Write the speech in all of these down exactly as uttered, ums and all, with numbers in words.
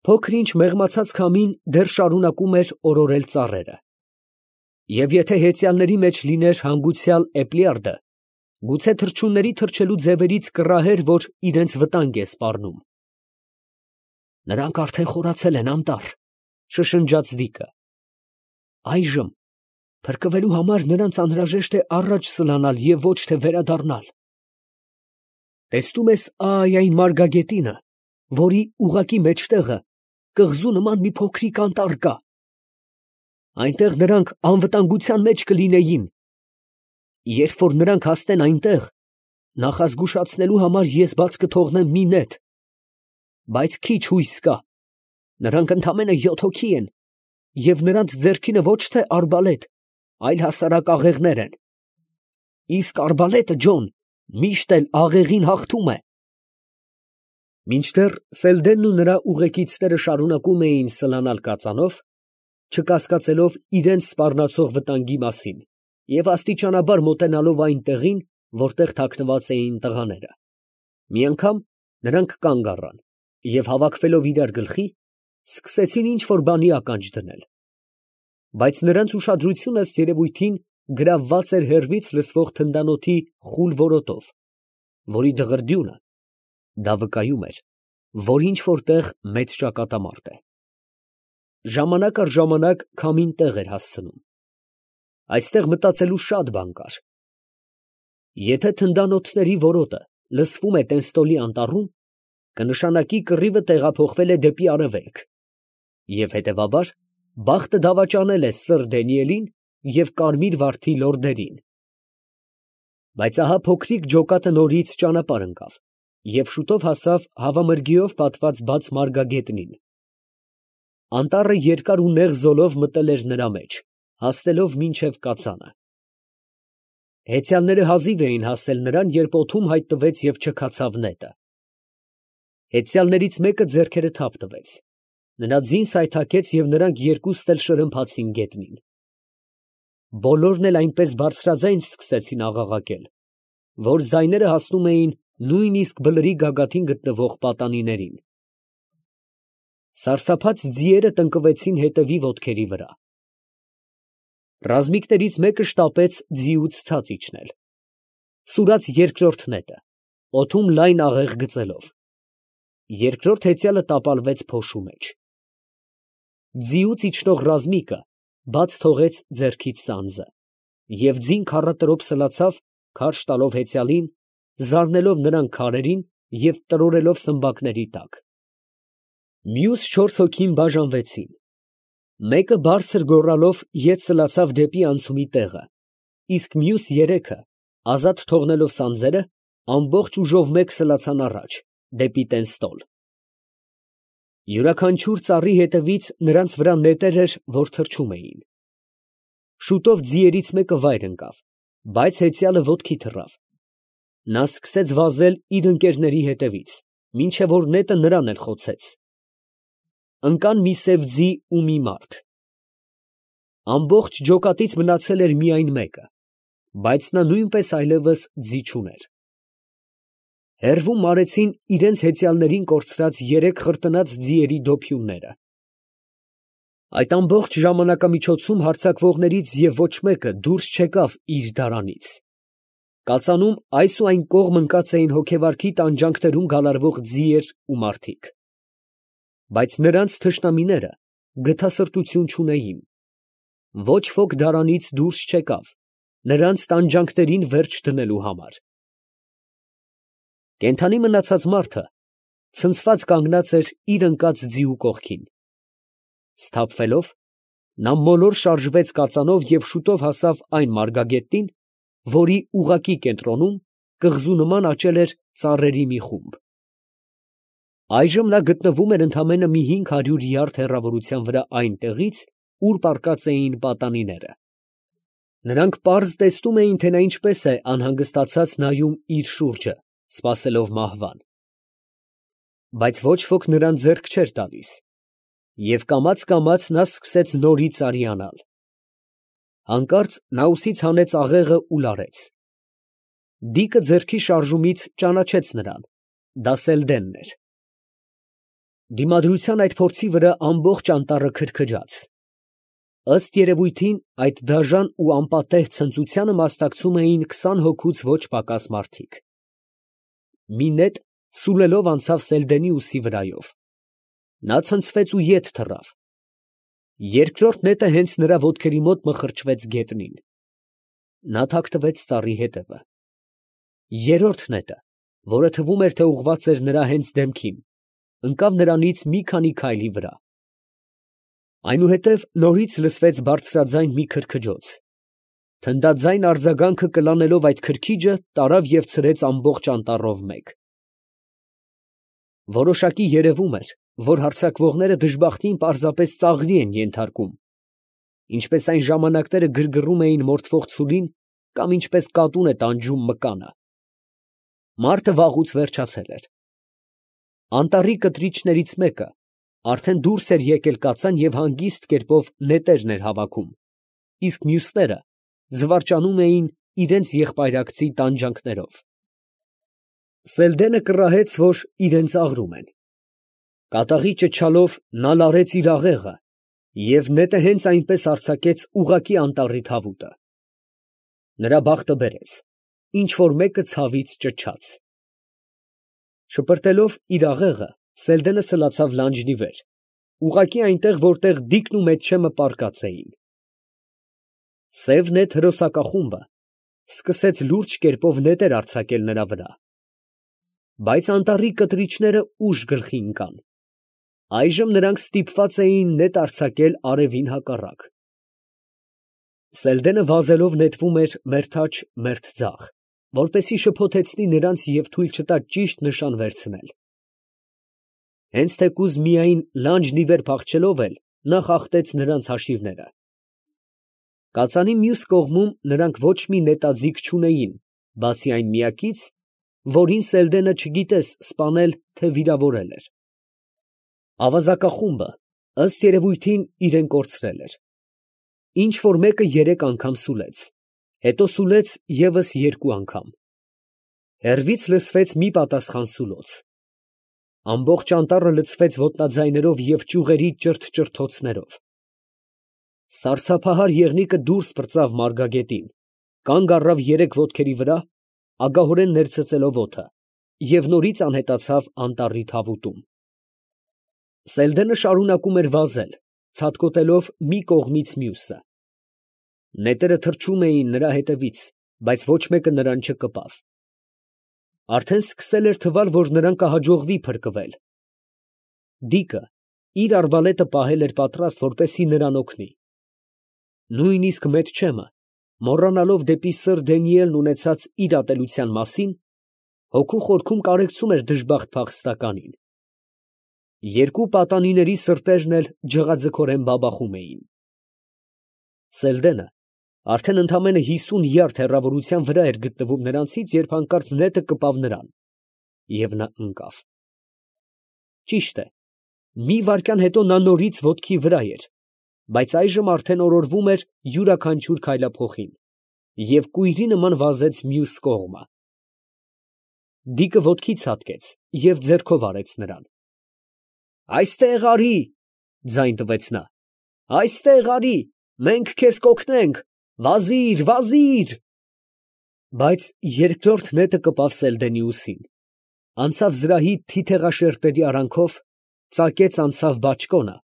Փոքր-ինչ մեղմացած քամին դեռ շարունակում էր օրորել ծառերը, և եթե հեծյալների մեջ լիներ հանգուցյալ Էպլիարդը, գուցե թռչունների թռչելու ձևերից կռահեր, որ իրենց վտանգ է սպառնում։ «Նրանք արդեն խորացել են, անտառ», ֊ շշնջաց Դիկը։ «Այժմ փրկվելու համար նրանց անհրաժեշտ է առաջ սլանալ և ոչ թե վերադառնալ։ Տեսնում ես ա՜յ այն մարգագետինը, որի ուղղակի մեջտեղը կղզու նման մի փոքրիկ անտառ կա. այնտեղ նրանք անվտանգության մեջ կլինեին. երբ որ նրանք հասնեն այնտեղ, նախազգուշացնելու համար ես բաց կթողնեմ մի նետ, բայց քիչ հույս կա. նրանք ընդամենը յոթ հոգի են, և նրանց ձեռքինը ոչ թե արբալետ, այլ հասարակ աղեղներ են. իսկ արբալետը, Ջոն, միշտ էլ աղեղին հաղթում է»։ Մինչդեռ Սելդենն ու նրա ուղեկիցները շարունակում էին սլանալ կածանով, չկասկածելով իրանց սպառնացող վտանգի մասին և աստիճանաբար մոտենալով այն տեղին, որտեղ թաքնված էին տղաները, մի անգամ նրանք կանգ առան և հավաքվելով իրար գլխի, սկսեցին ինչ֊որ բանի ականջ դնել, բայց նրանց ուշադրությունը, ըստ երևույթին, գրավված էր հեռվից լսվող թնդանոթի խուլ որոտով, որի դղրդյունը դա վկայում էր, որ ինչ֊որ տեղ մեծ ճակատամարտ է։ Ժամանակ առ ժամանակ քամին տեղ էր հասցնում. այստեղ մտածելու շատ բան կար. եթե թնդանոթների որոտը լսվում է Տենստոլի անտառում, կնշանակի կռիվը տեղափոխվել է դեպի արևելք, և հետևաբար բախտը դավաճանել է սըր Դենիելին և կարմիր վարդի լորդերին։ Բայց ահա փոքրիկ ջոկատը նորից ճանապարհ ընկավ և շուտով հասավ հավամրգիով պատված բաց մարգագետնին։ Անտառը երկար ու նեղ զոլով մտել էր նրա մեջ, հասնելով մինչև կածանը։ Հեծյալները հազիվ էին հասել նրան, երբ օդում հայտնվեց և չքացավ նետը։ Հեծյալներից մեկը ձեռքերը թափ տվեց, նրա ձին սայթաքեց և նրանք երկուստ էլ շրմփացին գետնին։ Բոլորն էլ այնպես բարձրաձայն սկսեցին աղաղակել, որ ձայները հասնում էին նույնիսկ բլրի գագաթին գտնվող պատանիներին։ Սարսափած ձիերը տնկվեցին հետևի ոտքերի վրա։ Ռազմիկներից մեկը շտապեց ձիուց ցած իջնել։ Սուրաց երկրորդ նետը, օդում լայն աղեղ գծելով։ Երկրորդ հեծյալը տապալվեց փոշու մեջ։ Ձիուց իջնող ռազմիկը բաց թողեց ձեռքից սանձը և ձին քառատրոպ սլացավ, քարշ տալով հեծյալին, զարնելով նրան քարերին և տրորելով սմբակների տակ։ Մյուս չորս հոգին բաժանվեցին. մեկը բարձր գոռալով ետ սլացավ դեպի անցումի տեղը, իսկ մյուս երեքը, ազատ թողնելով սանձերը, ամբողջ ուժով մեկ սլացան առաջ, դեպի Տենստոլ։ Յուրաքանչյուր ծառի հետևից նրանց վրա նետեր էր, որ թռչում էին։ Շուտով ձիերից մեկը վայր ընկավ, բայց հեծյալը ոտքի թռավ։ Նա սկսեց վազել իր ընկերների հետևից, մինչև որ նետը նրան էլ խոցեց։ Ընկան մի սև ձի ու մի մարդ։ Ամբողջ ջոկատից մնացել էր միայն մեկը, բայց նա նույնպես այլևս ձի չուներ։ Հեռվում մարեցին իրենց հեծյալներին կորցրած երեք խրտնած ձիերի դոփյունները։ Այդ ամբողջ ժամանակամիջոցում հարձակվողներից և ոչ մեկը դուրս չեկավ իր դարանից։ Կածանում այս ու այն կողմ ընկած էին հոգեվարքի տանջանքներում գալարվող ձիեր ու մարդիկ։ Բայց նրանց թշնամիները գթասրտություն չունեին. ոչ ոք դարանից դուրս չեկավ, նրանց տանջանքներին վերջ դնելու համար։ Կենդանի մնացած մարդը ցնցված կանգնած էր իր ընկած ձիու կողքին։ Սթափվելով, նա մոլոր շարժվեց կածանով և շուտով հասավ այն մարգագետնին, որի ուղղակի կենտրոնում կղզու նման աճել էր ծառերի մի խումբ։ Այժմ նա գտնվում էր ընդամենը մի հինգ հարյուր յարդ հեռավորության վրա այն տեղից, ուր պառկած էին պատանիները։ Նրանք պարզ տեսնում էին, թե նա ինչպես է անհանգստացած նայում իր շուրջը, սպասելով մահվան։ Բայց ոչ ոք նրան ձեռք չէր տալիս, և կամաց֊կամաց նա սկսեց նորից արիանալ։ Հանկարծ նա ուսից հանեց աղեղը ու լարեց։ Դիկը ձեռքի շարժումից ճանաչեց նրան. դա Սելդենն էր։ Դիմադրության այդ փորձի վրա ամբողջ անտառը քրքջաց։ Ըստ երևույթին, այդ դաժան ու անպատեհ ցնծությանը մասնակցում էին քսան հոգուց ոչ պակաս մարդիկ։ Մի նետ սուլելով անցավ Սելդենի ուսի վրայով. նա ցնցվեց ու ետ թռավ։ Երկրորդ նետը հենց նրա ոտքերի մոտ մխրճվեց գետնին։ Նա թաքնվեց ծառի հետևը։ Երրորդ նետը, որը թվում էր, թե ուղղված էր նրա հենց դեմքին, ընկավ նրանից մի քանի քայլի վրա։ Այնուհետև նորից լսվեց բարձրաձայն մի քրքջոց։ Թնդաձայն արձագանքը կլանելով այդ քրքիջը, տարավ և ցրեց ամբողջ անտառով մեկ։ Որոշակի երևում էր, որ հարձակվողները դժբախտին պարզապես ծաղրի են ենթարկում, ինչպես այն ժամանակները գրգռում էին մորթվող ցուլին կամ ինչպես կատուն է տանջում մկանը։ Մարդը վաղուց վերջացել էր։ Անտառի կտրիչներից մեկը արդեն դուրս էր եկել կացան և հանգիստ կերպով նետերն էր հավաքում, իսկ մյուսները զվարճանում էին իրենց եղբայրակցի տանջանքներով։ Սելդենը կռահեց, որ իրան ծաղրում են։ Կատաղի ճչալով նա լարեց իր աղեղը և նետը հենց այնպես արձակեց ուղղակի անտառի թավուտը։ Նրա բախտը բերեց, ինչ֊որ մեկը ցավից ճչաց։ Շպրտելով իր աղեղը, Սելդենը սլացավ լանջն ի վեր, ուղղակի այնտեղ, որտեղ Դիկն ու Մեթչեմը պառկած էին։ Սև նետ հրոսակախումբը սկսեց լուրջ կերպով նետեր արձակել նրա վրա։ Բայց անտառի կտրիչները ուժ գլխի ընկան։ Այժմ նրանք ստիպված էին նետ արձակել արևին հակառակ։ Սելդենը վազելով նետվում էր մերթաջ մերթ ձախ, որպեսզի շփոթեցնի նրանց և թույլ չտա ճիշտ նշան վերցնել։ Հենց թեկուզ միայն լանջն ի վեր փախչելով էլ, նա խախտեց նրանց հաշիվները։ Կածանի մյուս կողմում նրանք ոչ մի նետաձիգ չունեին, բացի այն միակից, որին Սելդենը չգիտես սպանել, թե վիրավորել էր։ Ավազակախումբը, ըստ երևույթին, իրեն կորցրել էր։ Ինչ֊որ մեկը երեք անգամ սուլեց, հետո սուլեց ևս երկու անգամ։ Հեռվից լսվեց մի պատասխան սուլոց։ Ամբողջ անտառը լցվեց ոտնաձայներով և ճյուղերի ճրթ֊ճրթոցներով։ Սարսափահար եղնիկը դուրս պրծավ մարգագետին, կանգ առավ երեք ոտքերի վրա, ագահորեն ներծծելով օդը, և նորից անհետացավ անտառի թավուտում։ Սելդենը շարունակում էր վազել, ցատկոտելով մի կողմից մյուսը։ Նետերը թռչում էին նրա հետևից, բայց ոչ մեկը նրան չկպավ։ Արդեն սկսել էր թվալ, որ նրան կհաջողվի փրկվել։ Դիկը իր արբալետը պահել էր պատրաստ, որպեսզի նրան օգնի։ Նույնիսկ Մեթչեմը, մոռանալով դեպի սըր Դանիելն ունեցած իր ատելության մասին, հոգու խորքում կարեկցում էր դժբախտ փախստականին։ Երկու պատանիների սրտերն էլ ջղաձգորեն բաբախում էին։ Սելդենը արդեն ընդամենը հիսուն յարդ հեռավորության վրա էր գտնվում նրանցից, երբ հանկարծ նետը կպավ նրան, և նա ընկավ։ Ճիշտ է, մի վայրկյան հետո նա նորից ոտքի վրա էր, բայց այժմ արդեն օրորվում էր յուրաքանչյուր քայլափոխին և կույրի նման վազեց մյուս կողմը։ Դիկը ոտքի ցատկեց և ձեռքով արեց նրան։ «Այստեղ արի!» ձայն տվեց նա։ «Այստեղ արի, մենք քեզ կօգնենք, վազի՛ր, վազի՛ր»։ Բայց երկրորդ նետը կպավ Սելդենի ուսին, անցավ զրահի թիթեղաշերտերի արանքով, ծակեց անցավ բաճկոնը,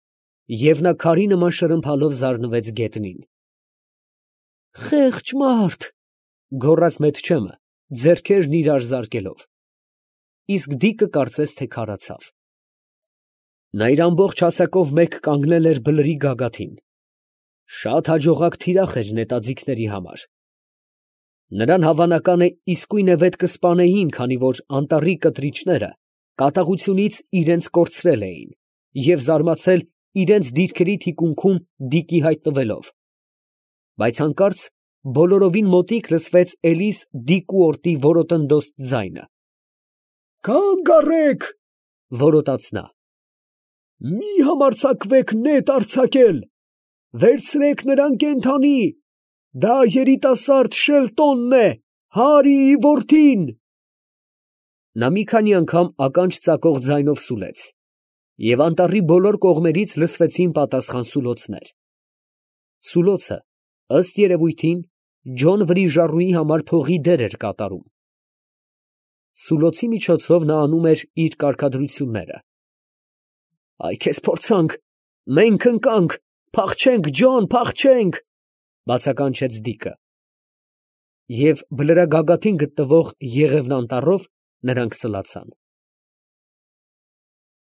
և նա քարի նման շրմփալով զարնվեց գետնին։ «Խեղճ մարդ», ֊ գոռաց Մեթչեմը, ձեռքերն իրար զարկելով, իսկ Դիկը կարծես թե քարացավ։ Նա իր ամբողջ հասակով մեկ կանգնել էր բլրի գագաթին։ Շատ հաջողակ թիրախ էր նետաձիգների համար։ Նրան, հավանական է, իսկույնևեթ կսպանեին, քանի որ անտառի կտրիչները կատաղությունից իրանց կորցրել էին և զարմացել իրանց դիրքերի թիկունքում Դիկի հայտնվելով։ Բայց հանկարծ բոլորովին մոտիկ լսվեց էլիս Դիկու օրտի որոտնդոծ ձայնը։ «Կանգ առեք, ֊ որոտաց նա, ֊ մի համարձակվեք նետ արձակել, վերցրեք նրան կենդանի, դա երիտասարդ Շելտոնն է, Հարիի որդին»։ Նա մի քանի անգամ ականջ ծակող ձայնով սուլեց, Եվ անտառի բոլոր կողմերից լսվեցին պատասխան սուլոցներ։ Սուլոցը, ըստ երևույթին, Ջոն Վրիժառուի համար փողի դեր էր կատարում։ Սուլոցի միջոցով նա անում էր իր կարգադրությունները։ «Այ քեզ փորձանք, մենք ընկանք, փախչենք, Ջոն, փախչենք», ֊ բացականչեց Դիկը։ Եվ բլրագագաթին գտնվող Եղևնը անտառով նրանք սլացան։